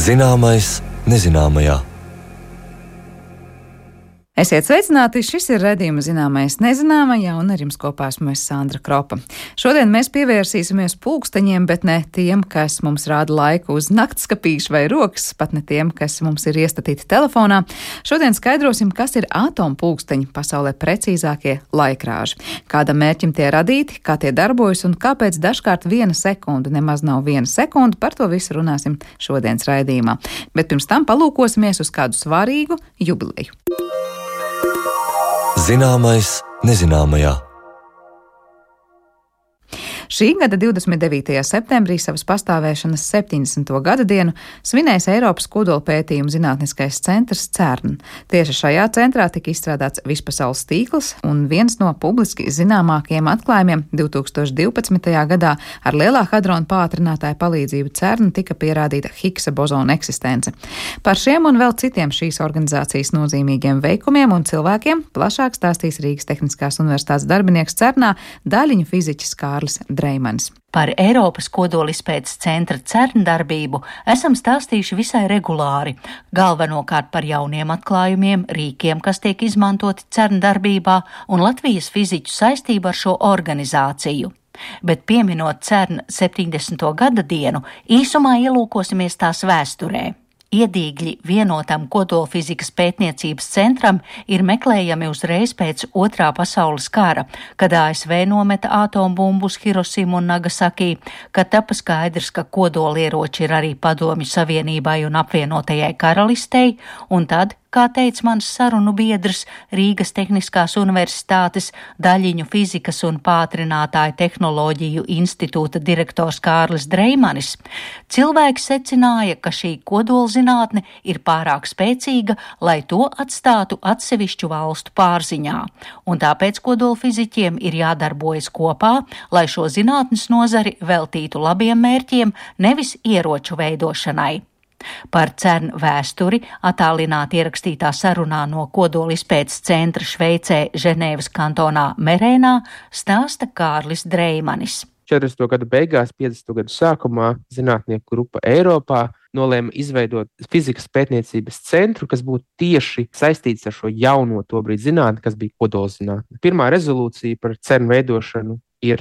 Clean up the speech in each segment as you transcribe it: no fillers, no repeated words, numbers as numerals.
Zināmais nezināmajā. Esiet sveicināti, šis ir raidījums Zināmais nezināmajā, un ar jums kopā esmu Sandra Kropa. Šodien mēs pievērsīsimies pulksteņiem, bet ne tiem, kas mums rāda laiku uz naktskapīšu vai rokas, pat ne tiem, kas mums ir iestatīti telefonā. Šodien skaidrosim, kas ir atompulksteņi, pasaulē precīzākie laikrāži, kādam mērķim tie radīti, kā tie darbojas un kāpēc dažkārt 1 sekunde nemaz nav 1 sekunde. Par to visu runāsim šodienas raidījumā. Bet pirms tam palūkosimies uz kādu svarīgu jubileju. Zināmais nezināmajā. Šī gada 29. septembrī savas pastāvēšanas 70. gada dienu svinēs Eiropas kodolpētījumu zinātniskais centrs CERN. Tieši šajā centrā tika izstrādāts vispasaules tīkls, un viens no publiski zināmākajiem atklājumiem 2012. gadā ar lielā hadrona pātrinātāja palīdzību CERN tika pierādīta Higgsa bozona eksistence. Par šiem un vēl citiem šīs organizācijas nozīmīgiem veikumiem un cilvēkiem plašāk stāstīs Rīgas Tehniskās universitātes darbinieks CERNā daļiņu fiziķis Kārlis Dreimanis. Par Eiropas kodolizpētes centra CERN darbību esam stāstījuši visai regulāri, galvenokārt par jauniem atklājumiem, rīkiem, kas tiek izmantoti CERN darbībā, un Latvijas fiziķu saistību ar šo organizāciju. Bet pieminot CERN 70. gada dienu, īsumā ielūkosimies tās vēsturē. Iedīgļi vienotam kodolfizikas pētniecības centram ir meklējami uzreiz pēc Otrā pasaules kara, kad ASV nometa atombumbu uz Hirosimu un Nagasaki, kad tapa skaidrs, ka kodolieroči ir arī Padomju Savienībai un apvienotajai karalistei, un tad, kā teica mans sarunu biedrs, Rīgas Tehniskās universitātes daļiņu fizikas un pātrinātāju tehnoloģiju institūta direktors Kārlis Dreimanis, cilvēks secināja, ka šī kodolzinātne ir pārāk spēcīga, lai to atstātu atsevišķu valstu pārziņā, un tāpēc kodolfiziķiem ir jādarbojas kopā, lai šo zinātnes nozari veltītu labiem mērķiem, nevis ieroču veidošanai. Par CERN vēsturi attālināti ierakstītā sarunā no kodolizpētes centra Šveicē Ženēvas kantonā Merēnā stāsta Kārlis Dreimanis. 40. gadu beigās, 50. gadu sākumā zinātnieku grupa Eiropā nolēma izveidot fizikas pētniecības centru, kas būtu tieši saistīts ar šo jauno tobrīd zinātni, kas bija kodolzinātne. Pirmā rezolūcija par CERN veidošanu ir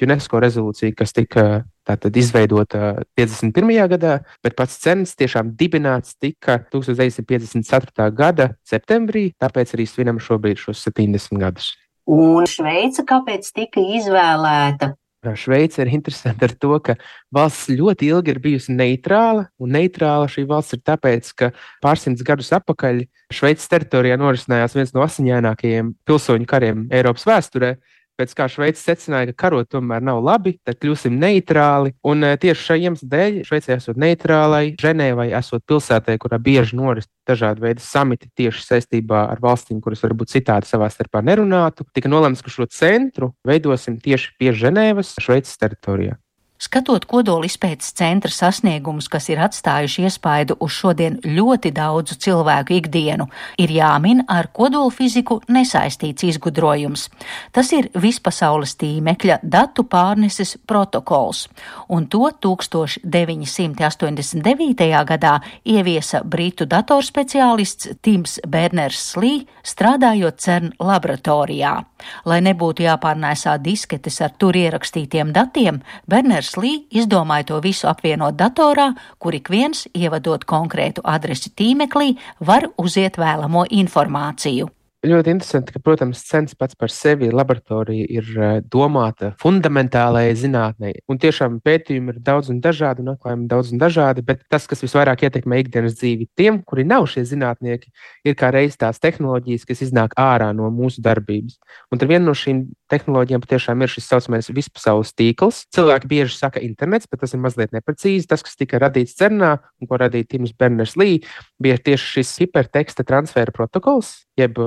UNESCO rezolūcija, kas tika tātad izveidota 51. gadā, bet pats CERNs tiešām dibināts tika 1954. gada septembrī, tāpēc arī svinam šobrīd šos 70 gadus. Un Šveica kāpēc tika izvēlēta? Šveice ir interesanti ar to, ka valsts ļoti ilgi ir bijusi neitrāla, un neitrāla šī valsts ir tāpēc, ka pārsimts gadus atpakaļ Šveices teritorijā norisinājās viens no asiņainākajiem pilsoņu kariem Eiropas vēsturē. Pēc kā Šveice secināja, ka karot tomēr nav labi, tad kļūsim neitrāli. Un tieši šai iemesla dēļ Šveicē esot neitrālai, Ženēvai esot pilsētai, kurā bieži noris dažādi veidi samiti tieši saistībā ar valstīm, kuras varbūt citādi savā starpā nerunātu, tika nolemts, ka šo centru veidosim tieši pie Ženēvas, Šveices teritorijā. Skatot kodolizpētes centra sasniegumus, kas ir atstājuši iespaidu uz šodien ļoti daudzu cilvēku ikdienu, ir jāmin ar kodolfiziku nesaistīts izgudrojums. Tas ir vispasaules tīmekļa datu pārneses protokols, un to 1989. gadā ieviesa britu datorspeciālists Tims Berners-Lee, strādājot CERN laboratorijā. Lai nebūtu jāpārnēsā disketes ar tur ierakstītiem datiem, Berners-Lee izdomāja to visu apvienot datorā, kur ik viens, ievadot konkrētu adresi tīmeklī, var uziet vēlamo informāciju. Ļoti interesanti, ka, protams, CERN pats par sevi laboratorija ir domāta fundamentālajai zinātnei. Un tiešām pētījumi ir daudz un dažādi, un atklājumi daudz un dažādi, bet tas, kas visvairāk ietekmē ikdienas dzīvi tiem, kuri nav šie zinātnieki, ir kā reiz tās tehnoloģijas, kas iznāk ārā no mūsu darbības. Un tad viena no šīm tehnoloģijām patiešām ir šis saucamais vispasaules tīkls. Cilvēki bieži saka internets, bet tas ir mazliet neprecīzi. Tas, kas tika radīts CERNā un ko radīja Tims Berners-Lee, bija tieši šis hiperteksta transfera protokols, jeb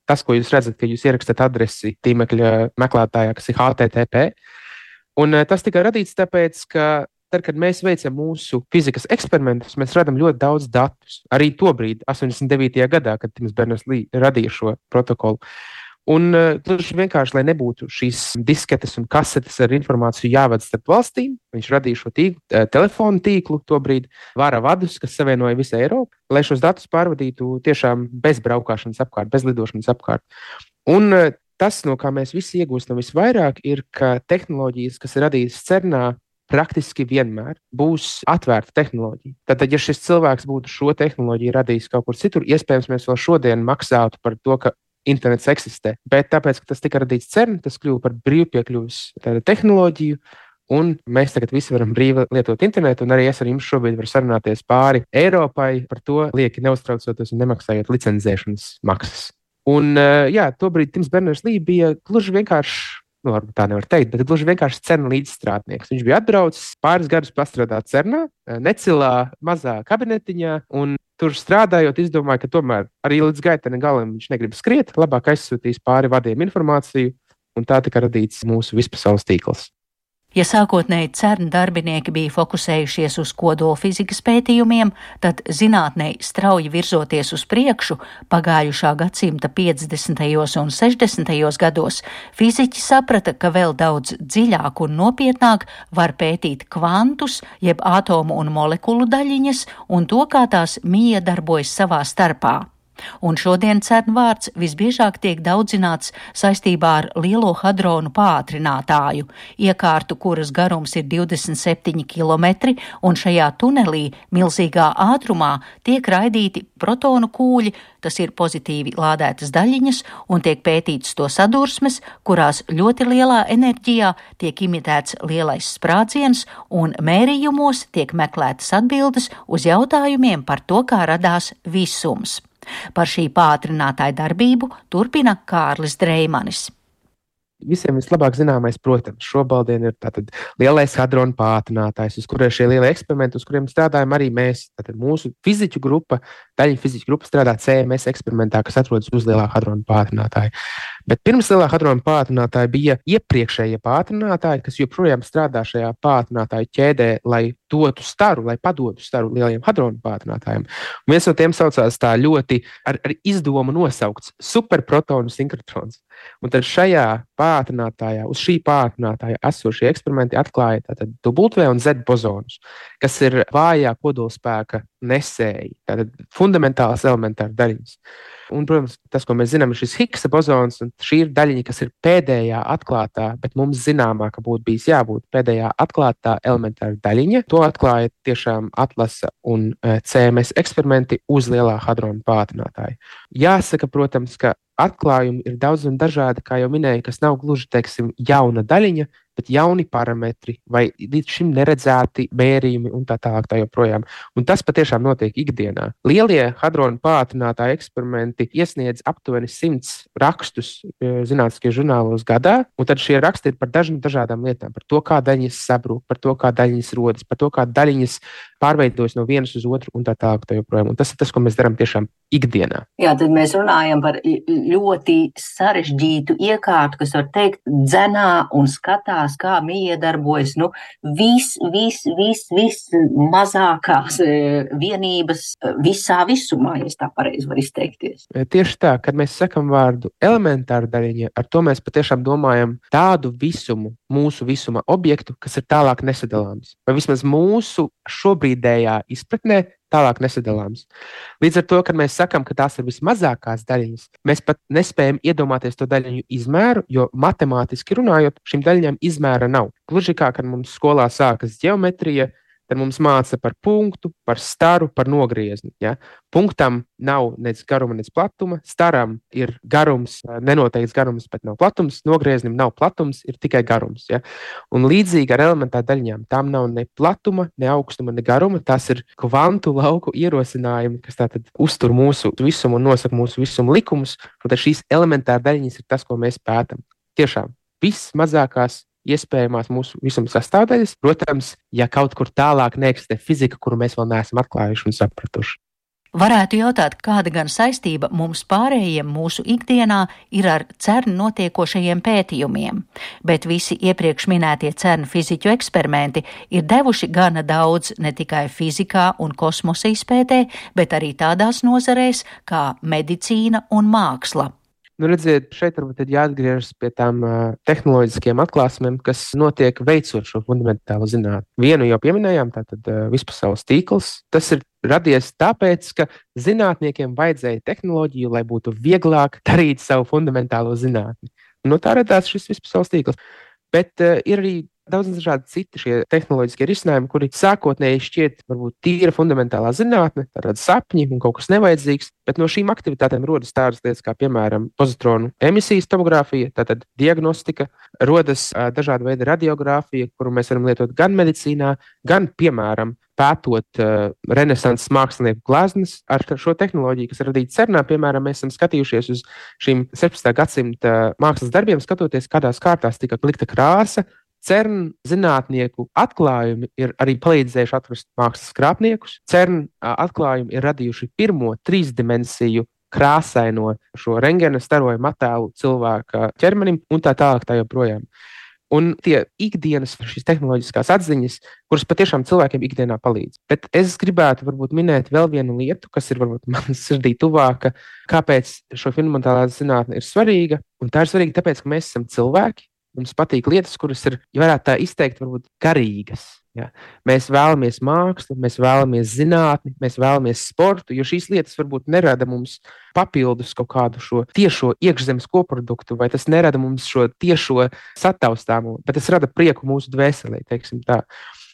tas, ko jūs redzat, ka jūs ierakstāt adresi tīmekļa meklētājā, kas ir HTTP. Un tas tika radīts tāpēc, ka tad, kad mēs veicam mūsu fizikas eksperimentus, mēs radām ļoti daudz datus. Arī tobrīd, 89. gadā, kad Tims Berners-Lee radīja šo protokolu. Un gluži vienkārši, lai nebūtu šīs disketes un kasetes ar informāciju jāvada starp valstīm, viņš radīja šo telefonu tīklu tobrīd, vara vadus, kas savienoja visu Eiropu, lai šos datus pārvadītu tiešām bez braukšanas apkārt, bez lidošanas apkārt. Un tas, no kā mēs visi iegūstam visvairāk, ir, ka tehnoloģijas, kas ir radītas CERNā, praktiski vienmēr būs atvērta tehnoloģija. Tātad, ja šis cilvēks būtu šo tehnoloģiju radījis kaut kur citur, iespējams, mēs vēl šodien maksātu par to, ka internets eksistē. Bet tāpēc, ka tas tika radīts CERN, tas kļuva par brīvpiekļuves tehnoloģiju, un mēs tagad visi varam brīvi lietot internetu, un arī es ar jums šobrīd varu sarunāties pāri Eiropai, par to lieki neuztraucoties un nemaksājot licencēšanas maksas. Un, tobrīd Tims Berners-Lee bija gluži vienkārši, varbūt tā nevar teikt, bet gluži vienkārši CERN līdzstrādnieks. Viņš bija atbraucis pāris gadus pastrādāt CERNā, necilā mazā kabinetiņā, un tur strādājot, izdomāja, ka tomēr arī līdz gaitene galam viņš negrib skriet, labāk aizsūtīs pāri vadiem informāciju, un tā tika radīts mūsu vispasaules tīkls. Ja sākotnēji CERN darbinieki bija fokusējušies uz kodolfizikas pētījumiem, tad zinātnei strauji virzoties uz priekšu pagājušā gadsimta 50. un 60. gados, fiziķi saprata, ka vēl daudz dziļāk un nopietnāk var pētīt kvantus, jeb atomu un molekulu daļiņas, un to, kā tās miedarbojas savā starpā. Un šodien CERN vārds visbiežāk tiek daudzināts saistībā ar lielo hadronu pātrinātāju, iekārtu, kuras garums ir 27 km, un šajā tunelī milzīgā ātrumā tiek raidīti protonu kūļi, tas ir pozitīvi lādētas daļiņas, un tiek pētīts to sadursmes, kurās ļoti lielā enerģijā tiek imitēts lielais sprādziens, un mērījumos tiek meklētas atbildes uz jautājumiem par to, kā radās visums. Par šī pātrinātāja darbību turpina Kārlis Dreimanis. Visiem vislabāk zināmais, protams, šobrīd ir tātad lielais hadronu pātrinātājs, uz kuriem šie lielie eksperimenti, uz kuriem strādājam arī mēs. Tātad mūsu fiziķu grupa, daļiņu fiziķu grupa strādā CMS eksperimentā, kas atrodas uz lielā hadronu pātrinātāja. Bet pirms lielā hadronu pātrinātāja bija iepriekšējie pātrinātāji, kas joprojām strādā šajā pātrinātāju ķēdē, lai dotu staru, lai padotu staru lielajiem hadronu pātrinātājiem. Un viens no tiem saucās tā ļoti ar izdomu nosaukts superprotonu sinhrotrons. Un tad šajā pātrinātājā, uz šī pātrinātāja esošie eksperimenti atklāja tātad W un Z bozonus, kas ir vājā kodolspēka nesēji, tātad fundamentālas elementāras daļiņas. Un, protams, tas, ko mēs zinām, ir šis Higgsa bozons, un šī ir daļiņa, kas ir pēdējā atklātā, bet mums zināmā, ka būtu bijis jābūt pēdējā atklātā elementāra daļiņa. To atklāja tiešām atlasa un CMS eksperimenti uz lielā hadronu pātrinātāja. Jāsaka, protams, ka atklājumi ir daudz un dažādi, kā jau minēju, kas nav gluži, teiksim, jauna daļiņa, bet jauni parametri vai līdz šim neredzēti mērījumi un tā tālāk tā joprojām. Un tas patiešām notiek ikdienā. Lielie hadronu pātrinātāju eksperimenti iesniedz aptuveni 100 rakstus zinātniskajos žurnālos gadā, un tad šie raksti ir par dažādām lietām, par to, kā daļiņas sabrūk, par to, kā daļiņas rodas, par to, kā daļiņas pārveidojas no vienas uz otru un tā tālāk tā joprojām. Un tas ir tas, ko mēs darām tiešām ikdienā. Jā, tad mēs runājam par ļoti sarežģītu iekārtu, kas var teikt dzenā un skatās, kā miedarbojas, mazākās vienības visā visumā, ja es tā pareizi varu izteikties. Tieši tā, kad mēs sakam vārdu elementāra daļiņa, ar to mēs patiešām domājam tādu visumu, mūsu visuma objektu, kas ir tālāk nesadalāms. Vai vismaz mūsu šobrīdējā izpratnē tālāk nesadalāms. Līdz ar to, kad mēs sakam, ka tās ir vismazākās daļiņas, mēs pat nespējam iedomāties to daļiņu izmēru, jo matemātiski runājot, šīm daļiņām izmēra nav. Gluži kā, kad mums skolā sākas ģeometrija, tad mums māca par punktu, par staru, par nogriezni. Ja? Punktam nav nec garuma, nec platuma, staram ir garums, nenoteikts garums, bet nav platums, nogrieznim nav platums, ir tikai garums. Ja? Un līdzīgi ar elementāru daļiņām, tām nav ne platuma, ne augstuma, ne garuma, tās ir kvantu lauku ierosinājumi, kas tātad uztur mūsu visumu un nosaka mūsu visumu likumus, un tad šīs elementāra daļiņas ir tas, ko mēs pētam. Tiešām, vismazākās iespējamās mūsu visuma sastāvdaļas, protams, ja kaut kur tālāk neeksistē fizika, kuru mēs vēl neesam atklājuši un sapratuši. Varētu jautāt, kāda gan saistība mums pārējiem mūsu ikdienā ir ar CERN notiekošajiem pētījumiem, bet visi iepriekš minētie CERN fiziķu eksperimenti ir devuši gana daudz ne tikai fizikā un kosmosa izpētē, bet arī tādās nozarēs kā medicīna un māksla. Redziet, šeit varbūt jāatgriežas pie tām tehnoloģiskajām atklāsmēm, kas notiek veicot šo fundamentālo zinātni. Vienu jau pieminējām, tātad vispasaules tīkls. Tas ir radies tāpēc, ka zinātniekiem vajadzēja tehnoloģiju, lai būtu vieglāk darīt savu fundamentālo zinātni. No tā radās šis vispasaules tīkls. Bet ir arī daudz dažādi citi šie tehnoloģiskie risinājumi, kuri sākotnēji šķiet varbūt tīra fundamentālā zinātne, tāda sapņi un kaut kas nevajadzīgs, bet no šīm aktivitātēm rodas tādas lietas kā, piemēram, pozitronu emisijas tomogrāfija, tātad diagnostika, rodas dažāda veida radiogrāfija, kuru mēs varam lietot gan medicīnā, gan, piemēram, pētot renesanses mākslinieku gleznas ar šo tehnoloģiju, kas ir radīta CERNā. Piemēram, mēs esam skatījušies uz šīm 17. gadsimta mākslas darbiem, skatoties, kādās kārtās tika likta krāsa. CERN zinātnieku atklājumi ir arī palīdzējuši atrast mākslas krāpniekus. CERN atklājumi ir radījuši pirmo 3-dimensiju krāsaino šo rentgena starojumu attēlu cilvēka ķermenim un tā tālāk tā joprojām. Un tie ikdienas šīs tehnoloģiskās atziņas, kuras patiešām cilvēkiem ikdienā palīdz. Bet es gribētu varbūt minēt vēl vienu lietu, kas ir varbūt man sirdī tuvāka, kāpēc šo fundamentālā zinātne ir svarīga. Un tā ir svarīga tāpēc, ka mēs esam cilvēki. Mums patīk lietas, kuras ir, ja varētu tā izteikt, varbūt garīgas. Ja. Mēs vēlamies mākslu, mēs vēlamies zinātni, mēs vēlamies sportu, jo šīs lietas varbūt nerada mums papildus kaut kādu šo tiešo iekšzemes koproduktu, vai tas nerada mums šo tiešo sataustāmo, bet tas rada prieku mūsu dvēselē, teiksim tā.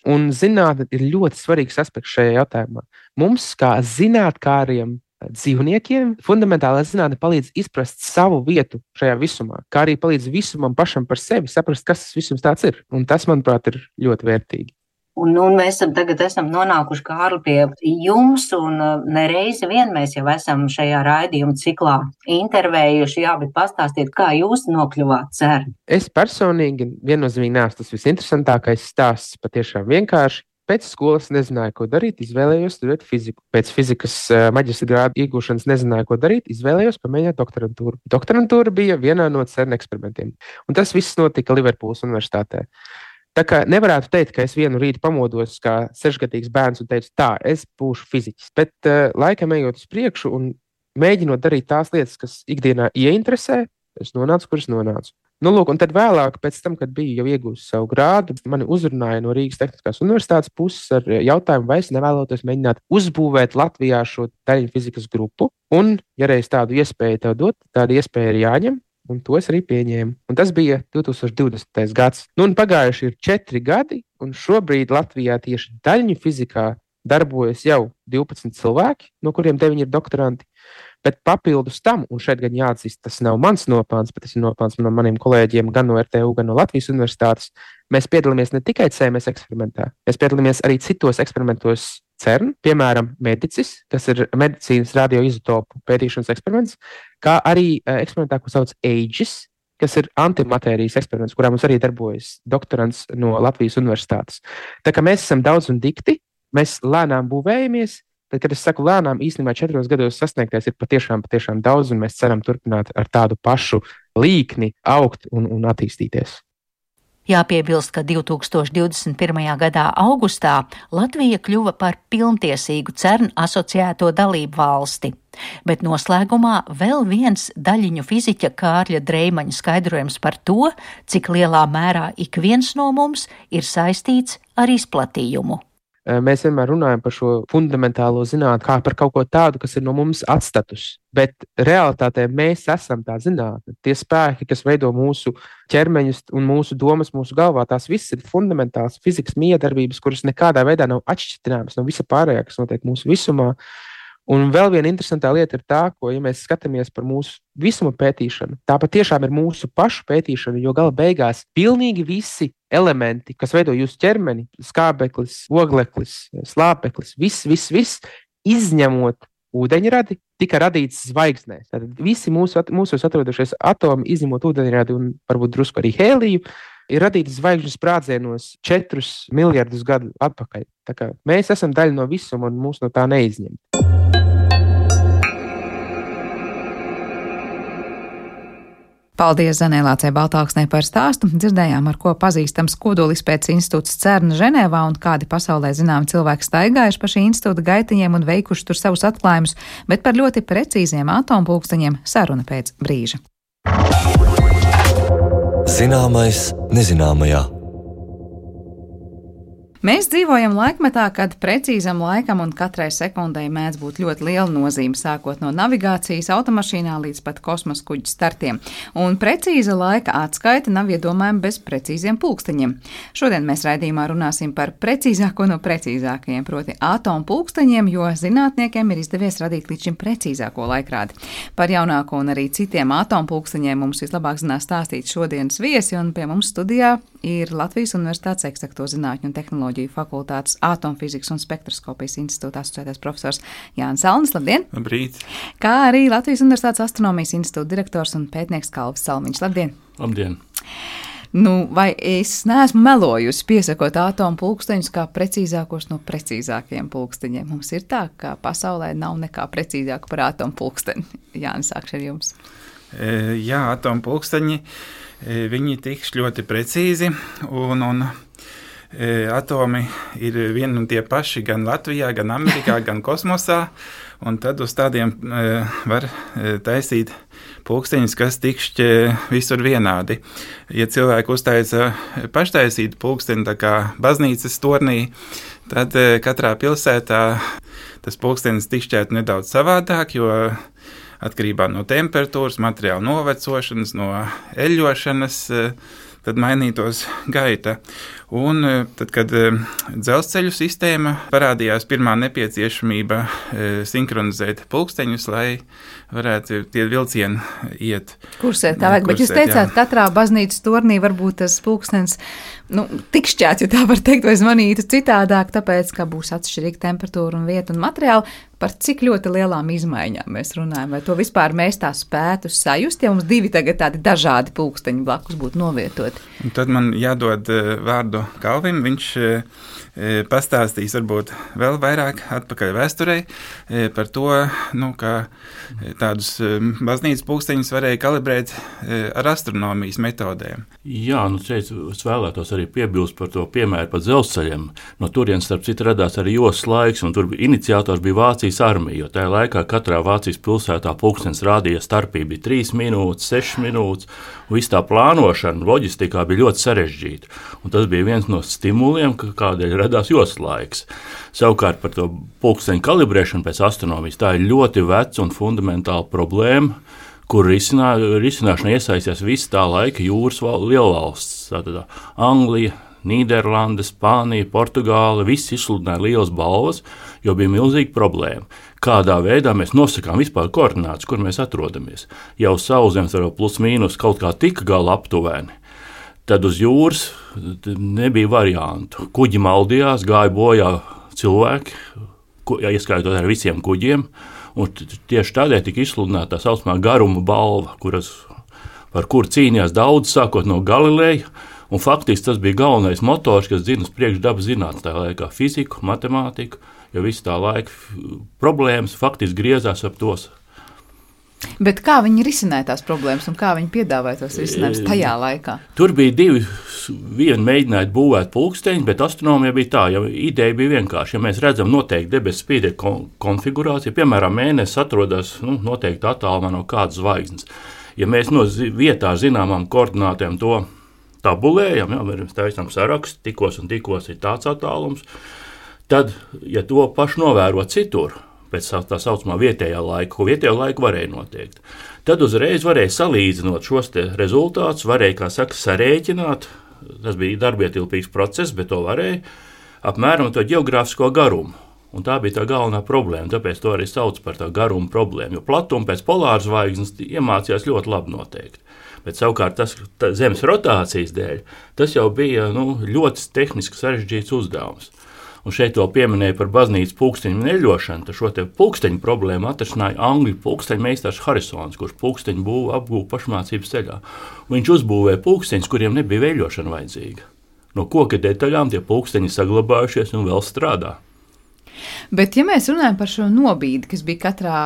Un zinātne ir ļoti svarīgs aspekts šajā jautājumā. Mums, kā zinātkāriem dzīvniekiem, fundamentālā zinātne palīdz izprast savu vietu šajā visumā, kā arī palīdz visumam pašam par sevi saprast, kas tas visums tāds ir. Un tas, manuprāt, ir ļoti vērtīgi. Un mēs tagad esam nonākuši, Kārli, pie jums, un nereizi vien mēs jau esam šajā raidījuma ciklā intervējuši, bet pastāstiet, kā jūs nokļuvāt CERN? Es personīgi viennozīmīgi neesmu tas visinteresantākais stāsts, patiešām vienkārši. Pēc skolas nezināju, ko darīt, izvēlējos studēt fiziku. Pēc fizikas maģistra grāda iegūšanas nezināju, ko darīt, izvēlējos pamēģināt doktorantūru. Doktorantūra bija vienā no CERN eksperimentiem, un tas viss notika Liverpūles universitātē. Tā kā nevarētu teikt, ka es vienu rītu pamodos kā 6-gadīgs bērns un teicu, tā, es būšu fiziķis. Bet laikam ejot uz priekšu un mēģinot darīt tās lietas, kas ikdienā ieinteresē, es nonācu, kur es nonācu. Lūk, un tad vēlāk, pēc tam, kad biju jau iegūst savu grādu, mani uzrunāja no Rīgas Tehniskās universitātes puses ar jautājumu, vai es nevēlotos mēģināt uzbūvēt Latvijā šo daļiņu fizikas grupu. Un, ja reiz tādu iespēju tev dot, tāda iespēja ir jāņem. Un to es arī pieņēmu. Un tas bija 2020. gads. Un pagājuši ir 4 gadi, un šobrīd Latvijā tieši daļiņu fizikā darbojas jau 12 cilvēki, no kuriem 9 ir doktoranti. Bet papildus tam, un šeit gan jāatzīst, tas nav mans nopelns, bet tas ir nopelns no maniem kolēģiem gan no RTU, gan no Latvijas universitātes. Mēs piedalāmies ne tikai CMS eksperimentā, mēs piedalāmies arī citos eksperimentos CERN, piemēram, Medicis, kas ir medicīnas radioizotopu pētīšanas eksperiments, kā arī eksperimentā, ko sauc AGES, kas ir antimatērijas eksperiments, kurā mums arī darbojas doktorants no Latvijas universitātes. Tā kā mēs esam daudz un dikti, mēs lēnām būvējamies. Bet, kad es saku lēnām, īstenībā 4 gados sasniegtais ir patiešām daudz, un mēs ceram turpināt ar tādu pašu līkni augt un attīstīties. Jāpiebilst, ka 2021. gadā augustā Latvija kļuva par pilntiesīgu CERN asociēto dalību valsti. Bet noslēgumā vēl viens daļiņu fiziķa Kārļa Dreimaņa skaidrojums par to, cik lielā mērā ik viens no mums ir saistīts ar izplatījumu. Mēs vienmēr runājam par šo fundamentālo zinātni kā par kaut ko tādu, kas ir no mums atstatus. Bet realitātē mēs esam tā zinātne. Tie spēki, kas veido mūsu ķermeņus un mūsu domas mūsu galvā, tās visas ir fundamentālas fizikas miedarbības, kuras nekādā veidā nav atšķirināmas no visa pārējā, kas notiek mūsu visumā. Un vēl viena interesantā lieta ir tā, ko, ja mēs skatāmies par mūsu visuma pētīšanu, tā patiešām ir mūsu pašu pētīšana, jo gala beigās pilnīgi visi elementi, kas veido jūsu ķermeni, skābeklis, ogleklis, slāpeklis, viss, izņemot ūdeņradi, tika radīts zvaigznēs. Tātad visi mūsos atrodošies atomi, izņemot ūdeņradi un varbūt drusku arī hēliju, ir radīti zvaigžņu sprādzienos 4 miljardus gadu atpakaļ. Tā kā mēs esam daļa no visuma un mūs no tā neizņem. Paldies Zanē Lācei Baltāksnei par stāstu. Dzirdējām, ar ko pazīstams Kodolizpētes institūts CERN Ženēvā un kādi pasaulē zināmi cilvēki staigājuši pa šī institūta gaitiņiem un veikuši tur savus atklājumus, bet par ļoti precīziem atompulksteņiem saruna pēc brīža. Zināmais nezināmajā. Mēs dzīvojam laikmetā, kad precīzam laikam un katrai sekundei mēdz būt ļoti liela nozīme, sākot no navigācijas automašīnā līdz pat kosmosa kuģu startiem. Un precīza laika atskaita nav iedomājama bez precīziem pulksteņiem. Šodien mēs raidījumā runāsim par precīzāko no precīzākajiem, proti atompulksteņiem, jo zinātniekiem ir izdevies radīt līdz šim precīzāko laikrādi. Par jaunāko un arī citiem atompulksteņiem mums vislabāk zinās stāstīt šodienas viesi, un pie mums studijā ir Latvijas Universitātes Eksakto zinātņu un tehnoloģiju fakultātes atomfizikas un spektroskopijas institūta asociētais profesors Jānis Salnis. Labdien! Labrīt! Kā arī Latvijas Universitātes astronomijas institūta direktors un pētnieks Kalvis Salmiņš. Labdien! Labdien! Vai es neesmu melojusi, piesakot atompulksteņus kā precīzākos no precīzākajiem pulksteņiem? Mums ir tā, ka pasaulē nav nekā precīzāka par atompulksteni. Jānis, sākšu ar jums. Jā, atompulksteņi, viņi tiks ļoti precīzi, un atomi ir vieni un tie paši gan Latvijā, gan Amerikā, gan kosmosā, un tad uz tādiem var taisīt pulksteņus, kas tikšķi visur vienādi. Ja cilvēki uztaisa paštaisītu pulksteni, tā kā baznīcas tornī, tad katrā pilsētā tas pulkstenis tikšķētu nedaudz savādāk, jo atkarībā no temperatūras, materiāla novecošanas, no eļļošanas, tad mainītos gaita. Un tad, kad dzelzceļu sistēma parādījās, pirmā nepieciešamība sinhronizēt pulksteņus, lai varētu tie vilcieni iet. Kursēt, kā vajag, bet jūs teicāt, katrā baznīcas tornī varbūt tas pulkstenis tikšķēts, ja tā var teikt, vai zvanītu citādāk, tāpēc, ka būs atšķirīga temperatūra un vieta un materiāli. Par cik ļoti lielām izmaiņām mēs runājam? Vai to vispār mēs tā spētu sajust, ja mums divi tagad tādi dažādi pulksteņi blakus būtu novietoti? Un tad man jādod vārdu Kalvim, viņš pastāstīs varbūt vēl vairāk atpakaļ vēsturei par to, kā tādus baznīcas pulksteņus varēja kalibrēt ar astronomijas metodēm. Jā, šeit es vēlētos arī piebilst par to piemēru par dzelzceļiem. No turienes, starp citu, radās arī joslas laiks, un tur iniciators bija Vācijas armija, jo tajā laikā katrā Vācijas pilsētā pulkstenis rādīja starpība bija 3 minūtes, 6 minūtes, un viss tā plānošana loģistikā bija ļoti sarežģīta. Un tas bija viens no stimuliem, kādēļ radās joslas laiks. Savukārt par to pulksteņu kalibrēšanu pēc astronomijas tā ir ļoti veca un fundamentāla problēma, kur risināšanā iesaistījās visas tā laika jūras lielvalsts. Tātad Anglija, Nīderlande, Spānija, Portugāle, visi izsludināja lielas balvas, jo bija milzīga problēma. Kādā veidā mēs nosakām vispār koordinātus, kur mēs atrodamies. Jau Sauszemes ar plus mīnus kaut kā tika gala aptuveni. Tad uz jūras nebija variantu. Kuģi maldījās, gāja bojā cilvēki, ieskaitot ar visiem kuģiem, un tieši tādēļ tika izsludināta tā saucamā garuma balva, par kuru cīnījās daudz, sākot no Galileja, un faktiski tas bija galvenais motors, kas zina uz priekšu dabas zinātnes tā laikā fiziku, matemātiku, jo visu tā laika problēmas faktiski griezās ap tos. Bet kā viņi risināja tās problēmas un kā viņi piedāvāja tos risinājumus tajā laikā? Tur bija divi. Vienu mēģināja būvēt pulksteņus, bet astronomija bija tā, ja ideja bija vienkārši. Ja mēs redzam noteikti debesu spīdekļa konfigurāciju, piemēram, mēnesis atrodas noteikti attālumā no kādas zvaigznes. Ja mēs no vietā zināmām koordinātēm to tabulējam, mēs taisām sarakstu, tikos un tikos ir tāds attālums, tad, ja to pašu novēro citur, pēc tā saucamā vietējā laika, ko vietējo laiku varēja noteikt, tad uzreiz varēja salīdzinot šos te rezultātus, varēja, kā saka, sarēķināt, tas bija darbietilpīgs process, bet to varēja apmēram to geogrāfisko garumu. Un tā bija tā galvenā problēma, tāpēc to arī sauc par tā garuma problēmu, jo platumu pēc polāras zvaigznes iemācījās ļoti labi noteikt. Bet savukārt tas Zemes rotācijas dēļ, tas jau bija ļoti tehniski sarežģīts uzdevums. Un šeit to pieminēja par baznīcas pulksteņu neļošanu, tad šo te pulksteņu problēmu atrisināja angļu pulksteņu meistars Harisons, kurš pulksteņu apgūva pašmācības ceļā. Viņš uzbūvēja pulksteņus, kuriem nebija veļošana vajadzīga. No koka detaļām tie pulksteņi saglabājušies un vēl strādā. Bet, ja mēs runājam par šo nobīdi, kas bija katrā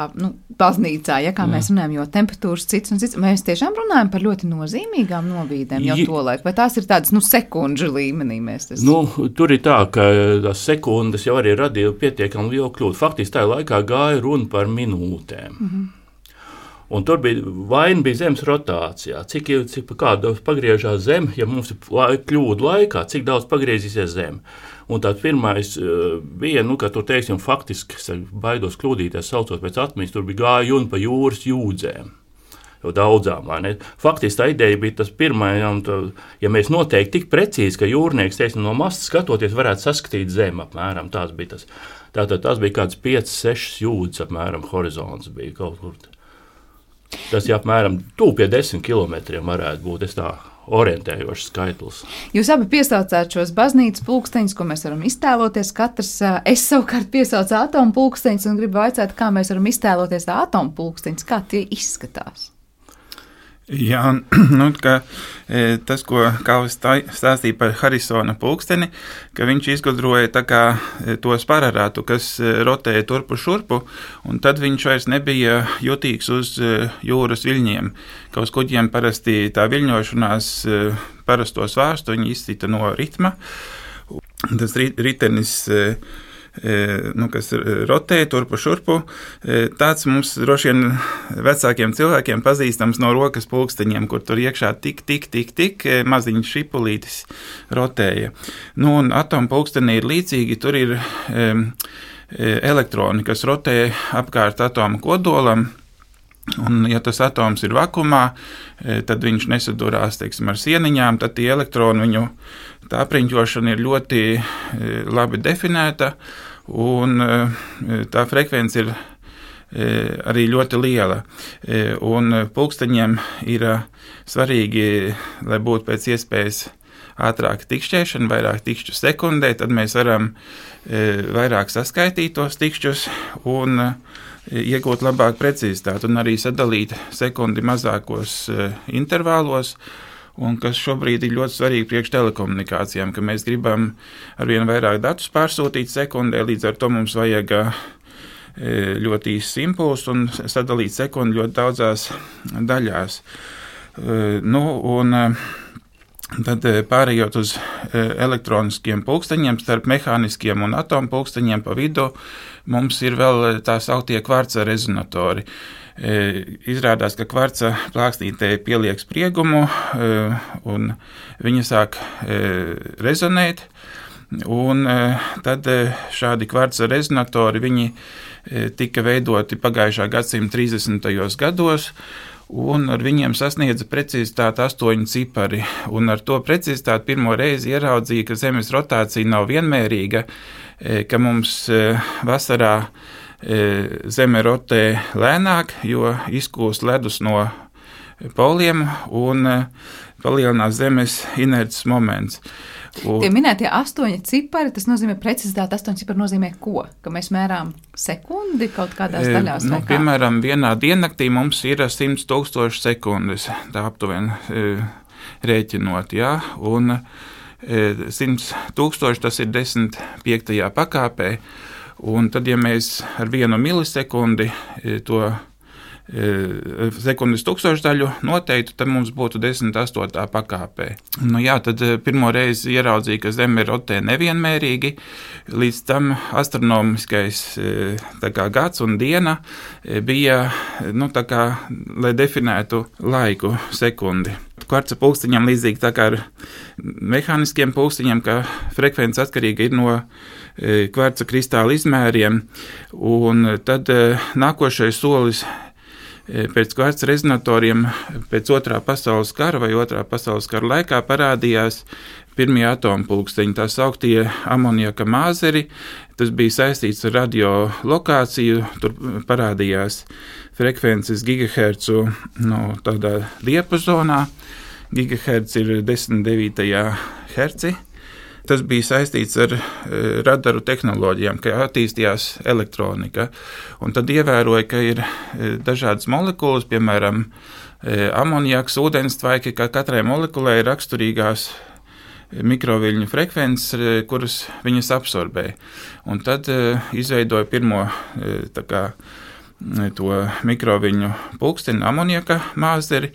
baznīcā, ja kā mēs runājam, jo temperatūras cits un cits, mēs tiešām runājam par ļoti nozīmīgām nobīdēm jau tolaik, vai tās ir tādas, sekundžu līmenī mēs tas? Tur ir tā, ka tās sekundes jau arī radīja pietiekami lielu kļūdu. Faktiski tajā laikā gāja runa par minūtēm. Un tur vaina bija zemes rotācijā. Cik kāda pagriežās zeme, ja mums ir kļūda laikā, cik daudz pagriezīsies zeme. Un tāds pirmais bija, ka tur, teiksim, faktiski, baidos kļūdīties, saucot pēc atmiņas, tur bija gāja runa pa jūras jūdzēm. Jau daudzām, vai ne? Faktiski tā ideja bija tas pirmajam, ja mēs noteikti tik precīzi, ka jūrnieks, teiksim, no mastas skatoties, varētu saskatīt zemi apmēram. Tās bija tas. Tātad tas bija kāds 5-6 jūdzes apmēram horizonts bija kaut kur. Tas ir apmēram tuvu pie 10 kilometriem varētu būt, es tā orientējošs skaitlis. Jūs abi piesaucāt šos baznīcas pulksteņus, ko mēs varam iztēloties katrs. Es savukārt piesaucu atomu pulksteņus un gribu vaicāt, kā mēs varam iztēloties atomu pulksteņus, kā tie izskatās. Jā, tas, ko Kalvis stāstīja par Harisona pulksteni, ka viņš izgudroja tā kā to spārarātu, kas rotēja turpu šurpu, un tad viņš vairs nebija jutīgs uz jūras viļņiem, ka uz kuģiem parasti tā viļņošanās parasto svārstu, viņi izcita no ritma. Tas ritenis, kas rotē turpu šurpu, tāds mums droši vien vecākiem cilvēkiem pazīstams no rokas pulksteņiem, kur tur iekšā tik maziņš šipulītis rotēja. Un atomu pulkstenī ir līdzīgi, tur ir elektroni, kas rotē apkārt atomu kodolam. Un, ja tas atoms ir vakumā, tad viņš nesadurās, teiksim, ar sieniņām, tad tie elektroni, viņu tā apriņķošana ir ļoti labi definēta, un tā frekvence ir arī ļoti liela. Un pulksteņiem ir svarīgi, lai būtu pēc iespējas ātrāk tikšķēšana, vairāk tikšķu sekundē, tad mēs varam vairāk saskaitīt tos tikšķus un iegūt labāku precizitāti un arī sadalīt sekundi mazākos intervālos, un kas šobrīd ir ļoti svarīgi priekš telekomunikācijām, ka mēs gribam arvien vairāk datus pārsūtīt sekundē, līdz ar to mums vajag ļoti īsts impulss un sadalīt sekundi ļoti daudzās daļās. Tad pārējot uz elektroniskiem pulksteņiem, starp mehāniskiem un atomu pulksteņiem pa vidu, mums ir vēl tā sauktie kvarca rezonatori. Izrādās, ka kvarca plāksnītē pieliek spriegumu un viņa sāk rezonēt, un tad šādi kvarca rezonatori, viņi tika veidoti pagājušā gadsimta 30. gados, un ar viņiem sasniedza precizitāti 8 cipari, un ar to precizitāti pirmo reizi ieraudzīja, ka Zemes rotācija nav vienmērīga, ka mums vasarā Zeme rotē lēnāk, jo izkūst ledus no poliem un palielinās Zemes inerces moments. Tie minētie 8 cipari, tas nozīmē precizitāti. 8 cipari nozīmē ko? Ka mēs mērām sekundi kaut kādās daļās? Piemēram, vienā diennaktī mums ir 100 000 sekundes, tā aptuveni rēķinot, jā, un 100 000 tas ir 10,5 pakāpē, un tad, ja mēs ar 1 milisekundi to sekundes tūkstošdaļu noteiktu, tad mums būtu 10,8 pakāpē. Tad pirmo reizi ieraudzīja, ka Zeme rotē nevienmērīgi, līdz tam astronomiskais gads un diena bija, lai definētu laiku sekundi. Kvarca pulksteņiem līdzīgi tā kā ar mehāniskiem pulksteņiem, ka frekvence atkarīga ir no kvarca kristāla izmēriem, un tad nākošais solis pēc kvarca rezonatoriem pēc otrā pasaules kara vai otrā pasaules kara laikā parādījās pirmie atomu pulksteņi, tā sauktie amoniaka māzeri. Tas bija saistīts ar radiolokāciju, tur parādījās frekvences gigahercu tādā diapazonā. Gigaherts ir 10,9 herci. Tas bija saistīts ar radaru tehnoloģijām, ka attīstījās elektronika. Un tad ievēroja, ka ir dažādas molekulas, piemēram, amoniaks, ūdenstvaiki, ka katrai molekulai ir raksturīgās mikroviļņu frekvences, kuras viņas absorbē. Un tad izveidoja pirmo to mikroviļņu pulksteni, amoniaka māzderi,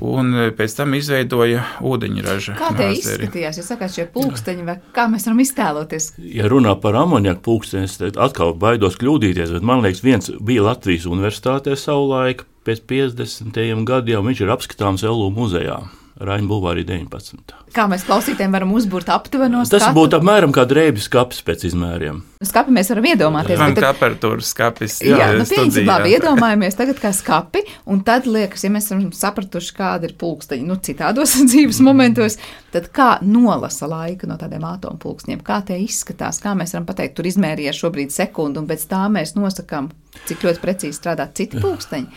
un pēc tam izveidoja ūdeņraža Kā tie māzderi. izskatījās, ja sakāt šie pulksteņi, vai kā mēs varam iztēloties? Ja runā par amoniaku pulksteni, es atkal baidos kļūdīties, bet man liekas, viens bija Latvijas universitātē savulaik pēc 50. gadiem, viņš ir apskatāms LU muzejā. Raina Bulvārī 19. Kā mēs klausītājiem varam uzbūrt aptuveno skatu? Tas būtu apmēram kā drēbju skapis pēc izmēriem. Skapi mēs varam iedomāties. Man temperatūras skapis Pieņemsim, labi, iedomājamies tagad kā skapi, un tad liekas, ja mēs esam sapratuši, kāda ir pulksteņi, citādos dzīves momentos, tad kā nolasa laika no tādiem atomu pulkstņiem, kā tie izskatās, kā mēs varam pateikt, tur izmērīja šobrīd sekundi, un pēc tā mēs nosakām, cik ļoti precīzi strādā citi pulksteņi.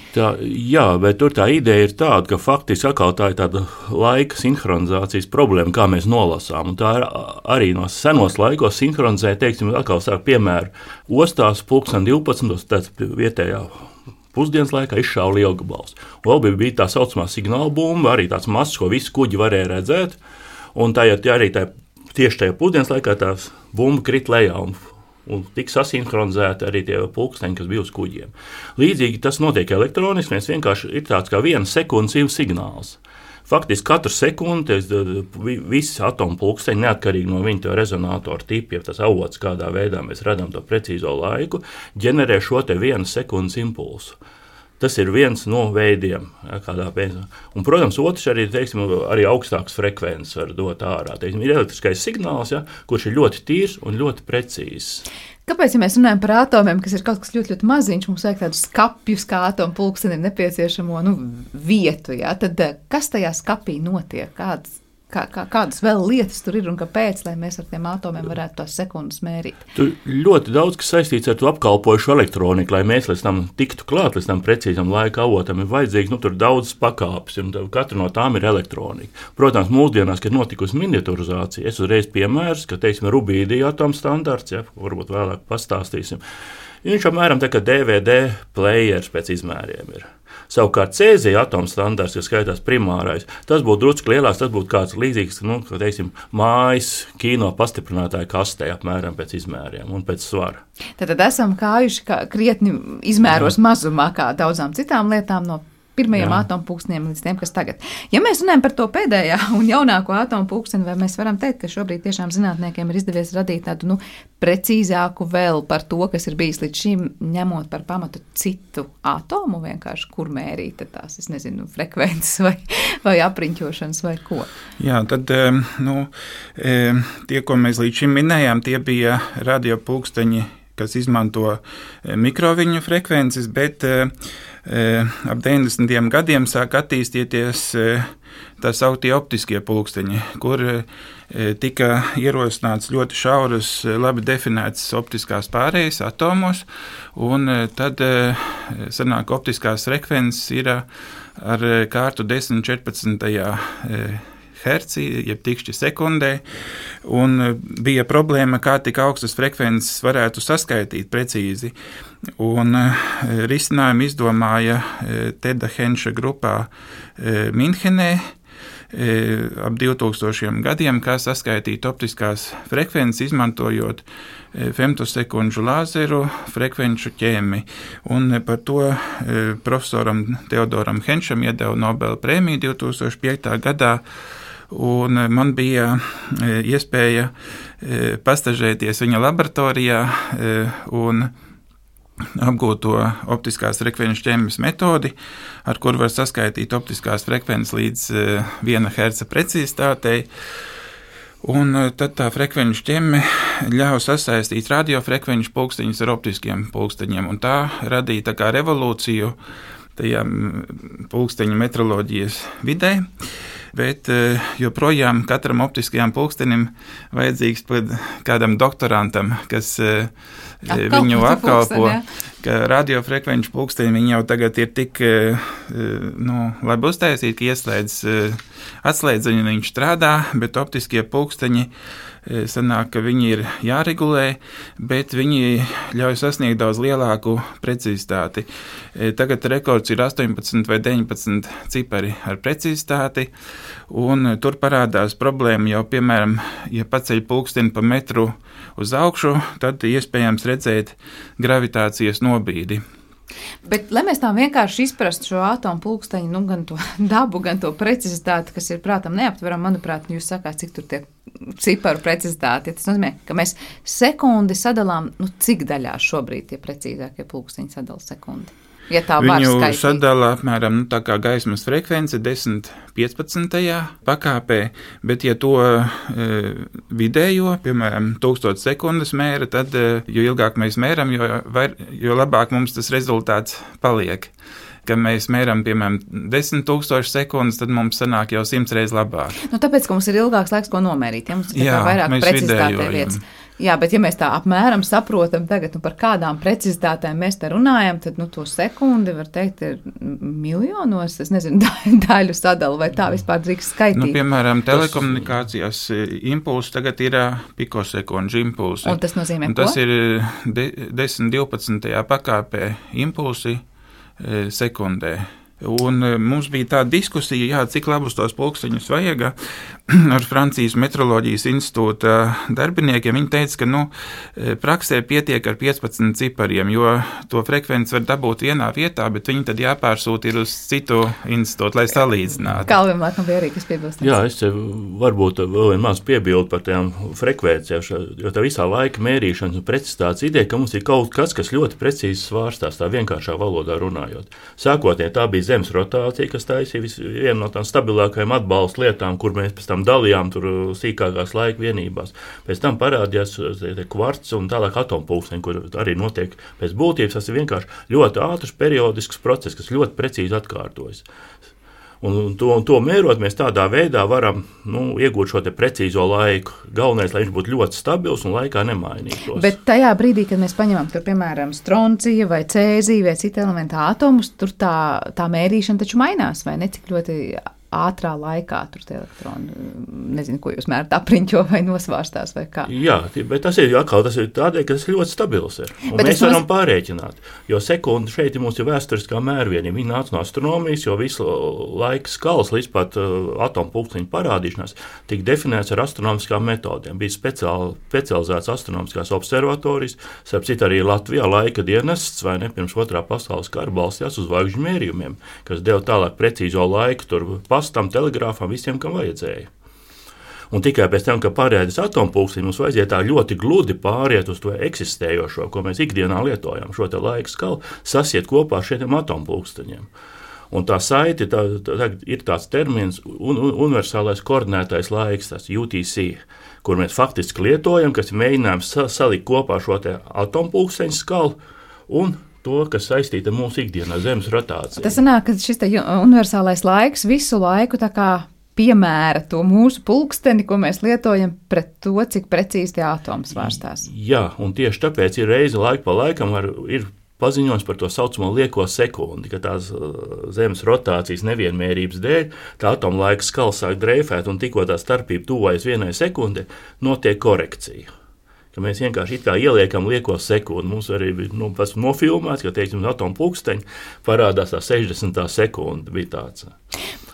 Jā, bet tur tā ideja ir tāda, ka faktiski atkal tā ir tāda laika sinhronizācijas problēma, kā mēs nolasām. Un tā ir arī no senos laikos sinhronizē, teiksim, atkal sāk piemēru ostās pulksten 12, tāds vietējā pusdienas laikā izšāva lielgabals. Vēl bija tā saucamā signāla bumba, arī tāds mazs, ko visi kuģi varēja redzēt, un tieši tajā pusdienas laikā tās bumba krit lejā, un tik sasinhronizēti arī tie pulksteņi, kas bija uz kuģiem. Līdzīgi tas notiek elektroniski, mēs vienkārši ir tāds kā 1 sekundes signāls. Faktiski katru sekundi visi atomu pulksteņi, neatkarīgi no viņa rezonatoru tipa, ja tas avots, kādā veidā mēs redzam to precīzo laiku, ģenerē šo te 1 sekundes impulsu. Tas ir viens no veidiem, kādā veidā. Un, protams, otrs arī, arī augstākas frekvences var dot ārā. Ir elektriskais signāls, kurš ir ļoti tīrs un ļoti precīzs. Kāpēc, ja mēs runājam par atomiem, kas ir kaut kas ļoti, ļoti maziņš, mums vajag tādus skapjus, kā atomu pulkstenim nepieciešamo vietu, tad kas tajā skapī notiek? Kādas vēl lietas tur ir un kāpēc, lai mēs ar tiem atomiem varētu tās sekundes mērīt? Tur ļoti daudz, kas saistīts ar to apkalpojušu elektroniku, lai mēs līdz tam tiktu klāt, līdz tam precīzam laika avotam, ir vajadzīgs tur daudz pakāpes, un katra no tām ir elektronika. Protams, mūsdienās, kad notikusi miniaturizācija, es uzreiz piemērs, ka, rubīdija atomu standarts, varbūt vēlāk pastāstīsim. Viņš apmēram tā kā DVD players pēc izmēriem ir. Savukārt cēzija atomu standarts, kas skaitās primārais, tas būtu drusku lielāks, tas būtu kāds līdzīgs, mājas kino pastiprinātāja kastē apmēram pēc izmēriem un pēc svara. Tad esam kājuši krietni izmēros mazumā kā daudzām citām lietām no pirmajiem atomu pulksteniem līdz tiem, kas tagad. Ja mēs runājam par to pēdējā un jaunāko atomu pulksteni, vai mēs varam teikt, ka šobrīd tiešām zinātniekiem ir izdevies radīt tādu precīzāku vēl par to, kas ir bijis līdz šim, ņemot par pamatu citu atomu, vienkārši kur mērīt tās, frekvences vai apriņķošanas vai ko? Jā, tad tie, ko mēs līdz šim minējām, tie bija radiopulksteņi, kas izmanto mikroviļņu frekvences, bet ap 90. gadiem sāk attīstīties tā sauktie optiskie pulksteņi, kur tika ierosināts ļoti šauras, labi definētas optiskās pārējas atomos, un tad sanāk optiskās frekvences ir ar kārtu 10–14. herci, jeb tikšķi sekundē, un bija problēma, kā tik augstas frekvences varētu saskaitīt precīzi. Un risinājumu izdomāja Teda Henša grupā Minhenē ap 2000 gadiem, kā saskaitīt optiskās frekvences, izmantojot femtosekundžu lāzeru frekvenču ķēmi. Un par to profesoram Teodoram Henšam iedeva Nobela prēmiju 2005. gadā. Un man bija iespēja pastažēties viņa laboratorijā un apgūt to optiskās frekvenču ķēmes metodi, ar kuru var saskaitīt optiskās frekvences līdz 1 herca precizitātei. Un tad tā frekvenču ķeme ļauj sasaistīt radiofrekvenču pulksteņus ar optiskiem pulksteņiem. Un tā radīja tā kā revolūciju tajā pulksteņu metroloģijas vidē. Bet joprojām katram optiskajam pulkstenim vajadzīgs kādam doktorantam, kas viņu apkalpo, ka radiofrekvenču pulksteņi viņi jau tagad ir tik labi uztaisīti, ka atslēdz viņu, viņš strādā, bet optiskie pulksteņi sanāk, ka viņi ir jāregulē, bet viņi ļauj sasniegt daudz lielāku precizitāti. Tagad rekords ir 18 vai 19 cipari ar precizitāti, un tur parādās problēma jau, piemēram, ja paceļ pulksteni pa metru uz augšu, tad iespējams redzēt gravitācijas nobīdi. Bet, lai mēs tā vienkārši izprastu šo atomu pulksteņu, gan to dabu, gan to precizitāti, kas ir prātam neaptveram, manuprāt, jūs sakāt, cik tur tie ciparu precizitāti. Tas nozīmē, ka mēs sekundi sadalām, cik daļās šobrīd tie precīzākie pulksteņi sadala sekundi. Ja tā var Viņu skaitīt. sadala apmēram tā kā gaismas frekvence 10–15 pakāpē, bet ja to vidējo, piemēram, 1000 sekundes mēra, tad jo ilgāk mēs mēram, jo labāk mums tas rezultāts paliek. Kad mēs mēram, piemēram, 10,000 sekundes, tad mums sanāk jau 100 reizes labāk. Tāpēc, ka mums ir ilgāks laiks, ko nomērīt. Ja mums ir vairāk precizitātē lietas. Jā, bet ja mēs tā apmēram saprotam tagad, par kādām precizitātēm mēs te runājam, tad to sekundi, var teikt, ir miljonos, es nezinu, daļu sadalu, vai tā vispār drīkst skaitīt. Piemēram, telekomunikācijās impulsi tagad ir pikosekundžu impulsi. Un tas nozīmē ko? Tas ir 10–12 pakāpē impulsi sekundē. Un mums bija tāda diskusija, cik labus tos pulksteņus vajag ar Francijas metroloģijas institūta darbiniekiem. Viņi teica, ka praksē pietiek ar 15 cipariem, jo to frekvenci var dabūt vienā vietā, bet viņi tad jāpārsūta ir uz citu institūtu, lai salīdzinātu. Kalvim, laikam, bija arī kas piebilstams. Jā, es varbūt vēl maz piebildu par tām frekvencēm, jo tā visā laika mērīšanas un precizitātes ideja, ka mums ir kaut kas, kas ļoti precīzi svārstās, tā vienkāršā valodā runājot. Sākotnēji tā bija Zemes rotācija, kas taisīja vienu no tām stabilākajām atbalsta lietām, kur mēs pēc tam dalījām tur sīkākās laika vienībās. Pēc tam parādījās kvarts un tālāk atompulksteņi, kur arī notiek pēc būtības. Tas ir vienkārši ļoti ātrs periodisks process, kas ļoti precīzi atkārtojas. Un to mērot, mēs tādā veidā varam iegūt šo te precīzo laiku. Galvenais, lai viņš būtu ļoti stabils un laikā nemainītos. Bet tajā brīdī, kad mēs paņemam tur, piemēram, stroncija vai cēziju vai citu elementu atomus, tur tā mērīšana taču mainās, vai ne? Cik ļoti ātrā laikā tur tie elektroni, nezinu, ko jūs mērat, apriņķo vai nosvārstās vai kā. Jā, bet tas ir tādēļ, ka tas ļoti stabils ir. Un mēs varam pārēķināt, jo sekundi šeit mums ir vēsturiskā mērvienība. Viņi nāca no astronomijas, jo visu laika skalas līdz pat atompulksteņu parādīšanās tika definēts ar astronomiskām metodēm. Bija specializēts astronomiskās observatorijas, starp citu arī Latvijā laika dienests, vai ne, pirms otrā pasaules kara balstījās uz zvaigžņu mērījumiem, kas deva tālāk precīzo laiku tur pastam, telegrāfam, visiem, kam vajadzēja. Un tikai pēc tam, kad pārēdis atompulksteņi, mums vajadzēja tā ļoti gludi pāriet uz to eksistējošo, ko mēs ikdienā lietojam, šo te laika skalu, sasiet kopā ar šiem atompulksteņiem. Un tā saite ir tāds termins universālais koordinētais laiks, tas UTC, kur mēs faktiski lietojam, kas ir mēģinājums salikt kopā šo te atompulksteņu skalu un to, kas saistīta ar mūsu ikdienā Zemes rotāciju. Tas sanāk, ka šis universālais laiks visu laiku tā kā piemēra to mūsu pulksteni, ko mēs lietojam pret to, cik precīzi tie atomi svārstās. Jā, un tieši tāpēc ir reize laiku pa laikam ir paziņojums par to saucamo lieko sekundi, ka tās Zemes rotācijas nevienmērības dēļ tā atoma laika skala sāk dreifēt un tikko tā starpība tuvojas 1 sekundei, notiek korekcija. Ka mēs vienkārši it kā ieliekam lieko sekundi. Mums arī bija pats nofilmēts, ka, teiksim, atompulksteņi parādās tā 60. sekunde bija tāds.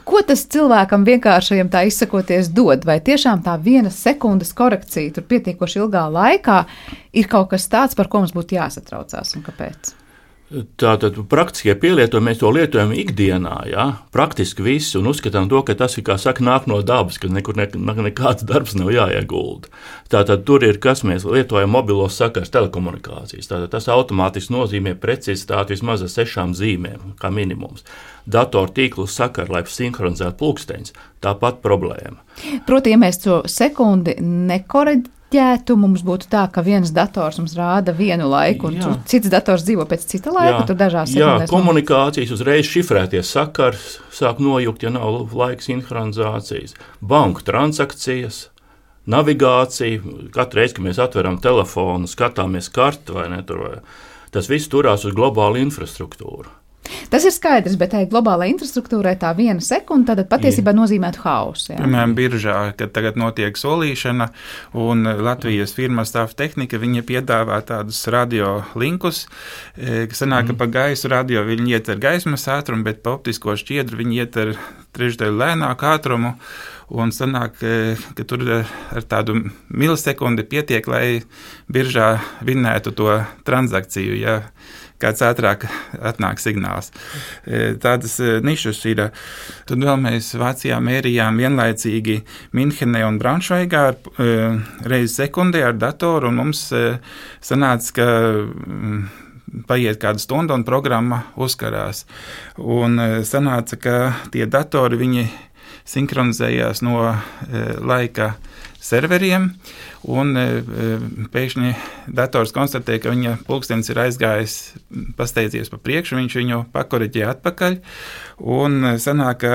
Ko tas cilvēkam vienkāršajam tā izsakoties dod? Vai tiešām tā 1 sekundes korekcija tur pietiekoši ilgā laikā ir kaut kas tāds, par ko mums būtu jāsatraucās un kāpēc? Tātad praktiskie pielietojumi, mēs to lietojam ikdienā, praktiski visi, un uzskatām to, ka tas ir, kā saka, nāk no dabas, ka nekur nekāds darbs nav jāiegulda. Tātad tur ir, kas mēs lietojam mobilos sakars, telekomunikācijas. Tātad tas automātiski nozīmē precizitāti vismaz ar 6 zīmēm, kā minimums. Datortīklu sakaru, lai sinhronizētu pulksteņus, tāpat problēma. Proti, ja mēs to sekundi nekoreģētu, mums būtu tā, ka viens dators mums rāda vienu laiku, un cits dators dzīvo pēc cita laika, tur dažās sekundēs. Jā, komunikācijas uzreiz šifrēties sakars sāk nojukt, ja nav laika sinhronizācijas. Banku transakcijas, navigācija, katru reizi, kad mēs atveram telefonu, skatāmies karti, vai ne, tas viss turās uz globālu infrastruktūru. Tas ir skaidrs, bet tai globālai infrastruktūrai tā 1 sekunde tad patiesībā nozīmētu hausu. Piemēram, biržā, kad tagad notiek solīšana, un Latvijas firma Stāv Tehnika, viņi piedāvā tādus radiolinkus, kas sanāk, ka pa gaisu radio viņi iet ar gaismas ātrumu, bet pa optisko šķiedru viņi iet ar 3/3 lēnāku ātrumu, un sanāk, ka tur ar tādu milisekundi pietiek, lai biržā vinnētu to transakciju, ja kāds ātrāk atnāk signāls. Tādas nišas ir. Tad vēl mēs Vācijā mērījām vienlaicīgi Minhenē un Braunšveigā reizi sekundē ar datoru, un mums sanāca, ka paiet kāda stunda un programma uzkarās. Un sanāca, ka tie datori, viņi sinhronizējās no laika serveriem, un pēkšņi dators konstatē, ka viņa pulkstenis ir aizgājis, pasteidzies pa priekšu, viņš viņu pakoriģē atpakaļ, un sanāk, ka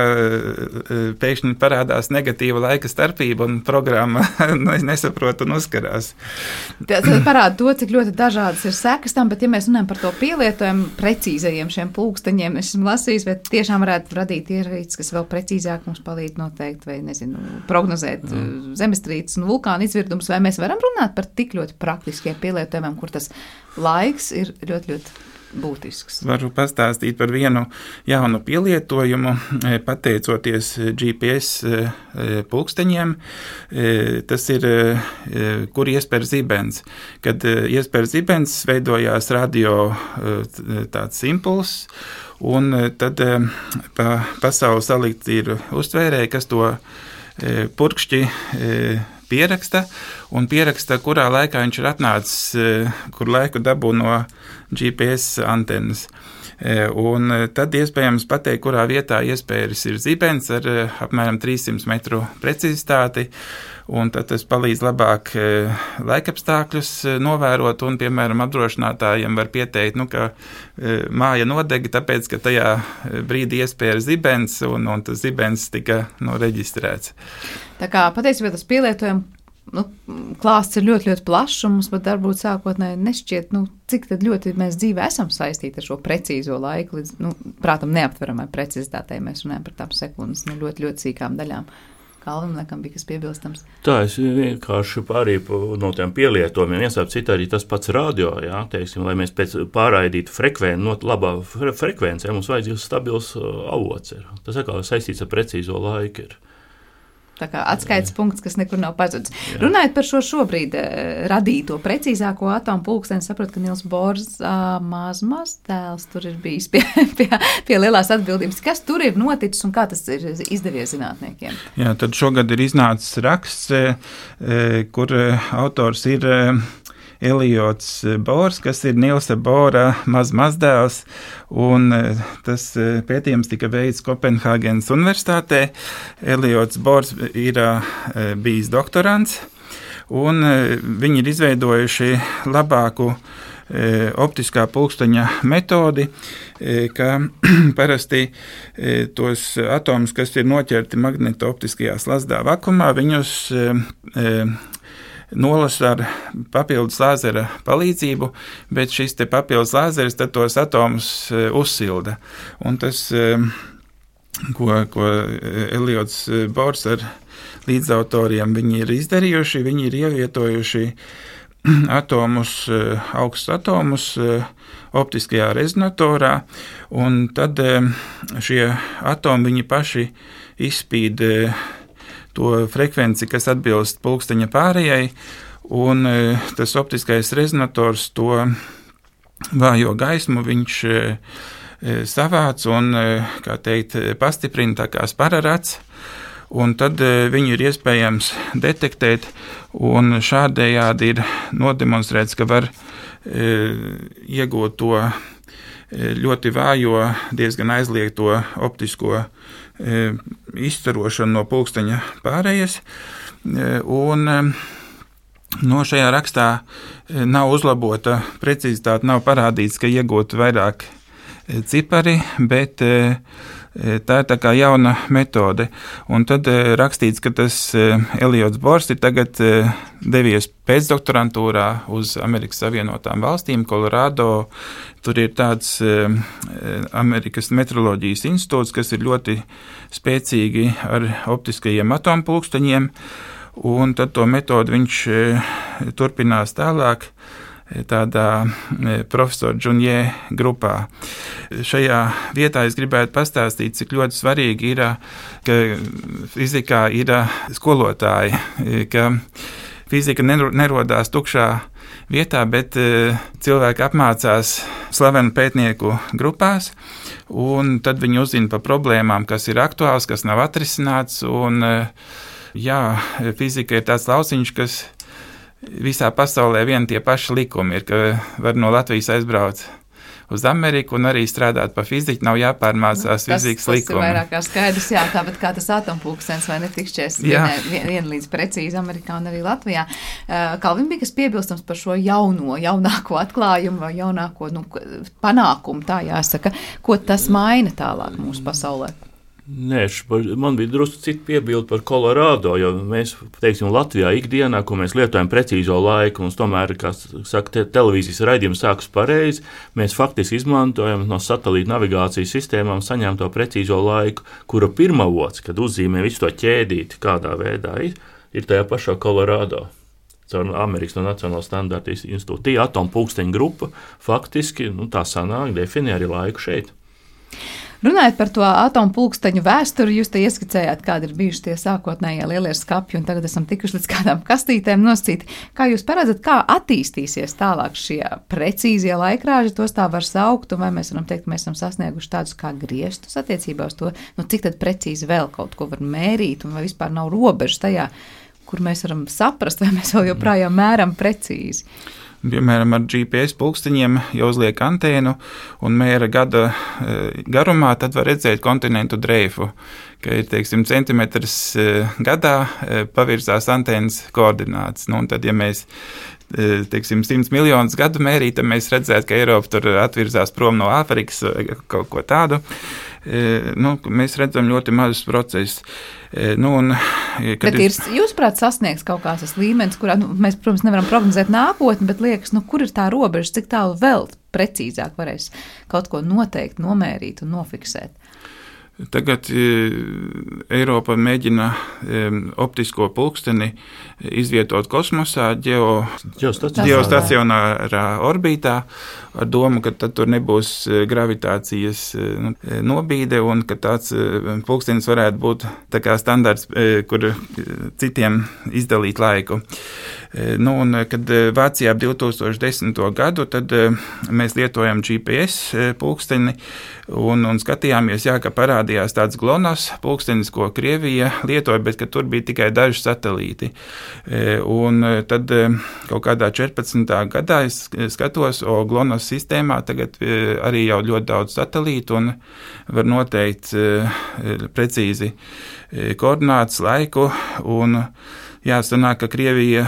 pēkšņi parādās negatīva laika starpība, un programma nesaprot un uzkarās. Tas parāda to, cik ļoti dažādas ir sekas tam, bet ja mēs runājam par to pielietojumu precīzajiem šiem pulksteņiem, es esmu lasījis, vai tiešām varētu radīt ierīces, kas vēl precīzāk mums palīdz noteikt, vai nezinu, prognozēt zemestrīces un vulkānu izvirdumus, vai mēs varam runāt par tik ļoti praktiskiem pielietojumiem, kur tas laiks ir ļoti, ļoti būtisks. Varu pastāstīt par vienu jaunu pielietojumu, pateicoties GPS pulksteņiem. Tas ir, kur iespēr zibens. Kad iespēr zibens, veidojās radio tāds impulss, un tad pa pasauli salikt ir uztvērēji, kas to purkšķi pieraksta, kurā laikā viņš ir atnācis, kur laiku dabū no GPS antenas. Un tad iespējams pateikt, kurā vietā iespējas ir zibens ar apmēram 300 metru precizitāti, un tad tas palīdz labāk laikapstākļus novērot, un, piemēram, apdrošinātājiem var pieteikt, ka māja nodega, tāpēc, ka tajā brīdī iespēja zibens, un tas zibens tika reģistrēts. Tā kā patiesībā tas pielietojums klāsts ir ļoti, ļoti plašs, un mums pat varbūt sākotnēji nešķiet, cik tad ļoti mēs dzīvē esam saistīti ar šo precīzo laiku, līdz, prātam, neaptveramai precizitātei. Mēs runājam par tām sekundes, ļoti, ļoti sīkām daļām. Kalvim, laikam, bija kas piebilstams. Tā, es vienkārši pārīju no tiem pielietojumiem. Iesāp citā arī tas pats radio, teiksim, lai mēs pēc pārraidītu labā frekvencē, mums vajadzīgs stabils avots ir. Tas atkal saistīts ar precīzo laiku ir. Tā kā atskaites punkts, kas nekur nav pazudis. Runājot par šo šobrīd radīto precīzāko atomu pulksteni, saprotu, ka Nils Bors maz tēls tur ir bijis pie lielās atbildības. Kas tur ir noticis un kā tas ir izdevies zinātniekiem? Jā, tad šogad ir iznācis raksts, kur autors ir Eliots Bors, kas ir Nilsa Bora mazdēls, un tas pētījums tika veikts Kopenhāgenes universitātē. Eliots Bors ir bijis doktorants, un viņi ir izveidojuši labāku optiskā pulksteņa metodi, ka parasti tos atomus, kas ir noķerti magnetooptiskajā slazdā vakumā, viņus nolasa ar papildus lāzera palīdzību, bet šis te papildus lāzeris tad tos atomus uzsilda. Un tas, ko Eliots Bors ar līdzautoriem viņi ir izdarījuši, viņi ir ievietojuši augstus atomus optiskajā rezonatorā, un tad šie atomi viņi paši izspīd to frekvenci, kas atbilst pulksteņa pārējai, un tas optiskais rezonators to vājo gaismu viņš savāc un, kā teikt, pastiprina tā kā spararats, un tad viņu ir iespējams detektēt, un šādējādi ir nodemonstrēts, ka var iegūt to ļoti vājo, diezgan aizliegto optisko izstarošanu no pulksteņa pārējas, un šajā rakstā nav uzlabota precizitāte, nav parādīts, ka iegūt vairāk cipari, bet Tā ir tā kā jauna metode. Un tad rakstīts, ka tas Eliots Bors ir tagad devies pēcdoktorantūrā uz Amerikas Savienotām valstīm, Kolorādo. Tur ir tāds Amerikas metroloģijas institūts, kas ir ļoti spēcīgi ar optiskajiem atompulksteņiem, un tad to metodu viņš turpinās tālāk tādā profesora Džunjē grupā. Šajā vietā es gribētu pastāstīt, cik ļoti svarīgi ir, ka fizikā ir skolotāji, ka fizika nerodās tukšā vietā, bet cilvēki apmācās slavenu pētnieku grupās, un tad viņi uzzina par problēmām, kas ir aktuāls, kas nav atrisināts, un fizika ir tāds lauciņš, kas visā pasaulē vien tie paši likumi ir, ka var no Latvijas aizbraukt uz Ameriku un arī strādāt pa fiziku, nav jāpārmācās fizikas likumi. Tas ir vairāk kā skaidrs, tāpat kā tas atompulkstenis vai netikšķies vienlīdz precīzi Amerikā un arī Latvijā. Kalvin, bija kas piebilstams par šo jaunāko atklājumu vai jaunāko panākumu, tā jāsaka, ko tas maina tālāk mūsu pasaulē? Nē, man bija drusku cita piebilde par Kolorādo, jo mēs, teiksim, Latvijā ikdienā, ko mēs lietojam precīzo laiku, mums tomēr, kā saka, televīzijas raidījums sākas pareizi, mēs faktiski izmantojam no satelīta navigācijas sistēmām saņemto precīzo laiku, kura pirmavots, kad uzzīmē visu to ķēdīti, kādā veidā ir tajā pašā Kolorādo. Caur Amerikas Nacionālo standartu institūtu. Tie atompulksteņu grupa faktiski, tā sanāk, definē arī laiku šeit. Runājot par to atompulksteņu vēsturi, jūs te ieskicējāt, kādi ir bijuši tie sākotnējie lielie skapji, un tagad esam tikuši līdz kādām kastītēm noscīti. Kā jūs paredzat, kā attīstīsies tālāk šie precīzie laikrāži, tos tā var saukt, un vai mēs varam teikt, ka mēs esam sasnieguši tādus kā griestus attiecībā uz to, cik tad precīzi vēl kaut ko var mērīt, un vai vispār nav robežas tajā, kur mēs varam saprast, vai mēs vēl joprojām mēram precīzi. Piemēram, ar GPS pulksteņiem, ja uzliek antēnu un mēra gada garumā, tad var redzēt kontinentu dreifu, ka ir, teiksim, centimetrs gadā pavirzās antēnas koordinātas. Un tad, ja mēs, teiksim, 100 miljonus gadu mērīt, tad mēs redzētu, ka Eiropa tur atvirzās prom no Āfrikas kaut ko tādu. Mēs redzam ļoti mazus procesus. Bet jūsuprāt sasniegs kaut kāds tas līmenis, kurā mēs, protams, nevaram prognozēt nākotni, bet liekas, kur ir tā robeža, cik tālu vēl precīzāk varēs kaut ko noteikt, nomērīt un nofiksēt? Tagad Eiropa mēģina optisko pulksteni izvietot kosmosā, ģeostacionārā orbītā, ar domu, ka tad tur nebūs gravitācijas nobīde un ka tāds pulkstenis varētu būt tā kā standarts, kur citiem izdalīt laiku. Un kad Vācijā 2010. gadu, tad mēs lietojam GPS pulksteni un skatījāmies, ka parādījās tāds GLONASS pulkstenis, ko Krievija lietoja, bet ka tur bija tikai daži satelīti. Un tad kaut kādā 14. gadā es skatos, GLONASS sistēmā tagad arī jau ļoti daudz satelītu un var noteikt precīzi koordinātas, laiku un jāsanāk, ka Krievija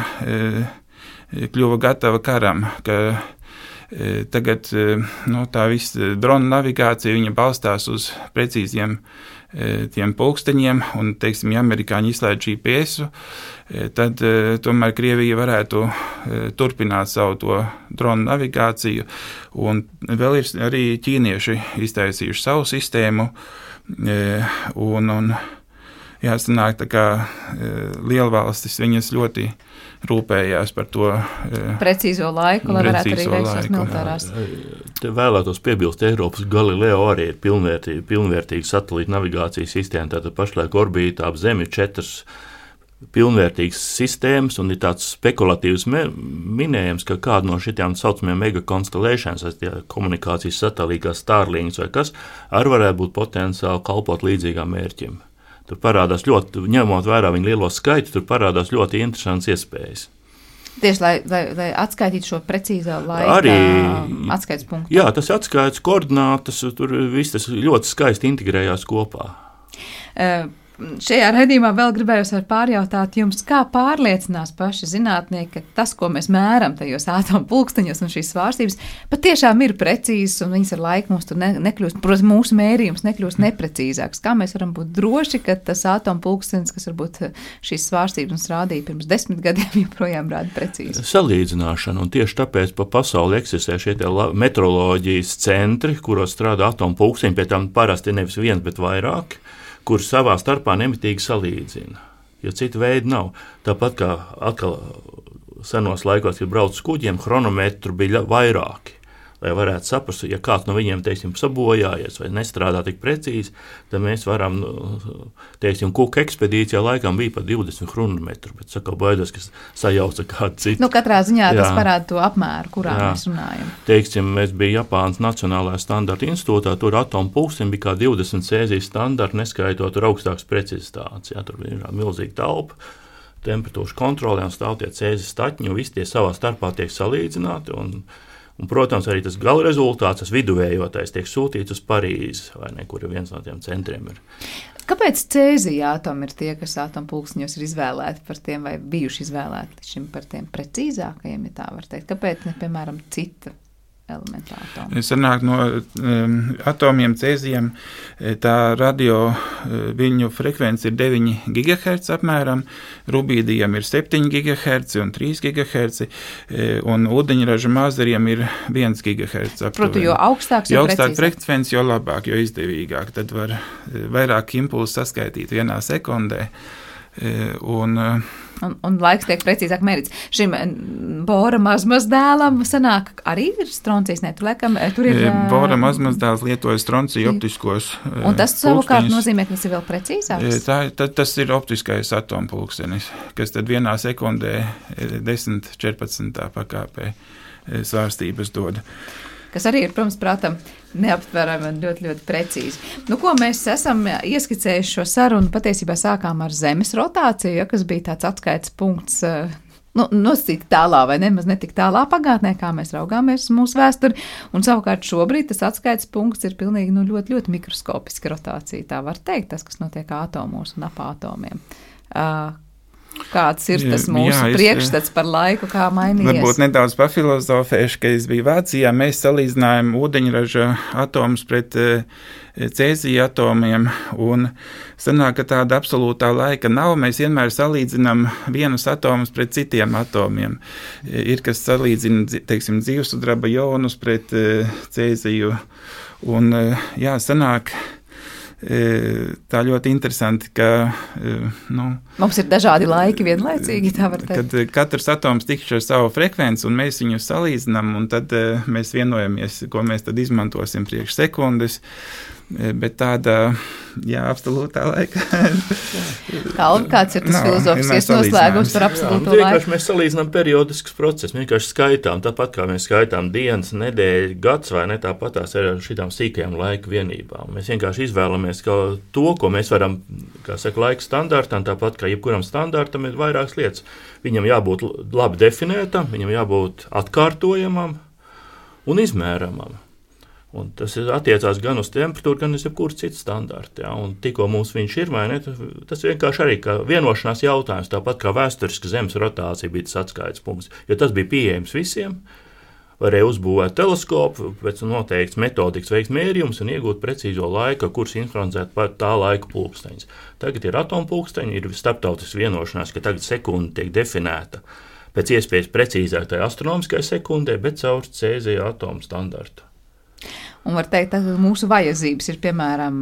kļuva gatava karam, ka tagad tā visa drona navigācija viņa balstās uz precīziem tiem pulksteņiem, un, teiksim, ja amerikāņi izslēdz GPS-u, tad tomēr Krievija varētu turpināt savu to drona navigāciju, un vēl ir arī ķīnieši iztaisījuši savu sistēmu, un jāsanāk, tā kā lielvalstis viņas ļoti rūpējās par to precīzo laiku, lai varētu arī veikt savas militārās. Te vēlētos piebilst, Eiropas Galileo arī ir pilnvērtīga satelīta navigācijas sistēma, tātad pašlaik orbītā ap Zemi 4 pilnvērtīgas sistēmas, un ir tāds spekulatīvs minējums, ka kāda no šitām saucamajām mega constellations, komunikācijas satelītā Starlinks vai kas, arī varētu būt potenciāli kalpot līdzīgām mērķiem. Tur parādās ļoti, ņemot vērā viņu lielo skaitu, tur parādās ļoti interesants iespējas. Tieši, lai atskaitītu šo precīzā laika atskaites punktu. Jā, tas atskaites koordinātas, tur viss tas ļoti skaisti integrējās kopā. Šajā raidījumā vēl gribējos pārjautāt jums, kā pārliecinās paši zinātnieki, ka tas, ko mēs mēram tajos atomu pulksteņos un šīs svārstības, patiešām ir precīzas un viņas ar laiku mums tur nekļūst, protams, mūsu mērījums nekļūst neprecīzāks. Kā mēs varam būt droši, ka tas atomu pulkstenis, kas varbūt šīs svārstības mums rādīja pirms 10 gadiem, joprojām rāda precīzi? Salīdzināšana, un tieši tāpēc pa pasauli eksistē šie metroloģijas centri, kuros strādā atomu pulksteņi, pie tam parasti nevis viens, bet vairāk, kur savā starpā nemitīgi salīdzina, jo citu veidu nav. Tāpat kā atkal senos laikos, kad brauc uz kuģiem, chronometru bija vairāki, lai varētu saprast, ja kāds no viņiem, teiksim, sabojājies vai nestrādā tik precīzi, tad mēs varam, teiksim, Kuka ekspedīcijā laikam bija pat 20 chronometru, bet saka, baidos, kas sajauca kādu citu. Katrā ziņā tas parāda to apmēru, kurā mēs runājam. Teiksim, mēs bija Japānas Nacionālajā standarta institūtā, tur atomu pulksteņi bija kā 20 cēzijas standarti, neskaitot tur augstāks precizitātes. Tur bija milzīga telpa, temperatūras kontrolē un stāv tie cēzijas staķņi, un visi tie savā starpā tiek salīdzināti, un, protams, arī tas gala rezultāts, tas viduvējotais, tiek sūtīts uz Parīzi, vai ne, kur viens no tiem centriem ir. Kāpēc cēzija atomi ir tie, kas atomu pulksteņos ir izvēlēti par tiem, vai bijuši izvēlēti šim par tiem precīzākajiem, ja tā var teikt? Kāpēc ne, piemēram, cita elementa atomi? Sanāk no atomiem cēzijiem, tā radio viļņu frekvence ir 9 GHz apmēram, rubīdijam ir 7 GHz un 3 GHz, un ūdeņraža mazariem ir 1 GHz aptuveni. Proti, jo augstāks, jo augstāk frekvence, jo labāk, jo izdevīgāk. Tad var vairāk impulsu saskaitīt vienā sekundē. Un laiks tiek precīzāk mērīts. Šim Bora mazmazdēlam sanāk arī ir stroncijs, ne? Tur ir Bora mazmazdēls lietoja stronciju optiskos pulksteņus. Un tas savukārt nozīmē, ka tas ir vēl precīzāks? Tas ir optiskais atomu pulkstenis, kas tad vienā sekundē 10-14 pakāpē svārstības dod. Kas arī ir, protams, prātam neaptverami un ļoti, ļoti precīzi. Ko mēs esam ieskicējuši šo sarunu, patiesībā sākām ar Zemes rotāciju, kas bija tāds atskaites punkts, nosacīti tālā vai nemaz netik tālā pagātnē, kā mēs raugāmies uz mūsu vēsturi, un savukārt šobrīd tas atskaites punkts ir pilnīgi ļoti, ļoti mikroskopiska rotācija, tā var teikt, tas, kas notiek atomos un ap atomiem. Kāds ir tas mūsu priekšstats par laiku, kā mainījies? Varbūt nedaudz pafilozofēšu, ka es biju Vācijā, mēs salīdzinājām ūdeņraža atomus pret cēzija atomiem, un sanāk, ka tāda absolūtā laika nav. Mēs vienmēr salīdzinām vienus atomus pret citiem atomiem. Ir, kas salīdzina, teiksim, dzīvesudraba jonus pret cēziju, un sanāk, tā ļoti interesanti, ka mums ir dažādi laiki vienlaicīgi, tā var teikt. Kad katrs atoms tikšķi ar savu frekvenci, un mēs viņus salīdzinām, un tad mēs vienojamies, ko mēs tad izmantosim priekš sekundes, bet tāda, absolūtā laika. Kāds ir tas filozofiskais noslēgums par absolūto laiku? Vienkārši mēs salīdzinām periodiskus procesus, vienkārši skaitām, tāpat kā mēs skaitām dienas, nedēļu, gads, vai ne, tāpat tās ar šitām sīkajām laika vienībām. Mēs vienkārši izvēlamies to, ko mēs varam, kā saka, laika standartam, tāpat kā jebkuram standartam ir vairākas lietas. Viņam jābūt labi definētam, viņam jābūt atkārtojamam un izmēramam. Un tas attiecās gan uz temperatūru, gan uz jebkuru citu standartu. Ja? Un tikko mums viņš ir, vai ne, tas vienkārši arī kā vienošanās jautājums, tāpat kā vēsturiska Zemes rotācija bija tas atskaites punkts, jo tas bija pieejams visiem, varēja uzbūvēt teleskopu, pēc noteikts metodikas veikt mērījumus un iegūt precīzo laiku, kurus informēt par tā laika pulksteņus. Tagad ir atomu pulksteņi, ir starptautisks vienošanās, ka tagad sekunde tiek definēta pēc iespējas precīzāk tajā astronomiskai sekundē, bet caur cēzija atomu standartu. Un var teikt, ka mūsu vajadzības ir, piemēram,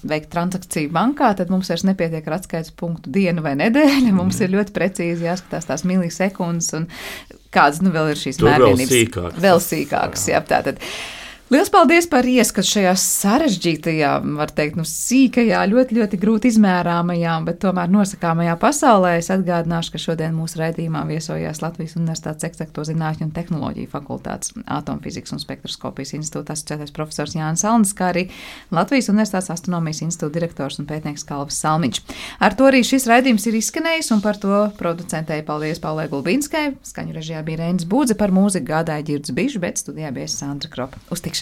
veikt transakciju bankā, tad mums vairs nepietiek ar atskaites punktu dienu vai nedēļu. Mums ir ļoti precīzi jāskatās tās milisekundes un kādas vēl ir šīs mērvienības. Vēl sīkākas, jā, tātad. Liels paldies par ieskatu šajā sarežģītajā, var teikt, sīkajā, ļoti, ļoti grūti izmērāmajā, bet tomēr nosakāmajā pasaulē. Es atgādināšu, ka šodien mūsu raidījumā viesojās Latvijas Universitātes Eksakto zinātņu un tehnoloģiju fakultātes atomfizikas un spektroskopijas institūta asociētais profesors Jānis Salnis, kā arī Latvijas Universitātes astronomijas institūta direktors un pētnieks Kalvis Salmiņš. Ar to arī šis raidījums ir izskanējis, un par to producentēji paldies Paulai Gulbīnskai. Skaņu režijā bija Reinis Būdze, par mūziku gādāja Ģirds Bišs, bet studijā bija Sandra Kropa. Uz tikšanos!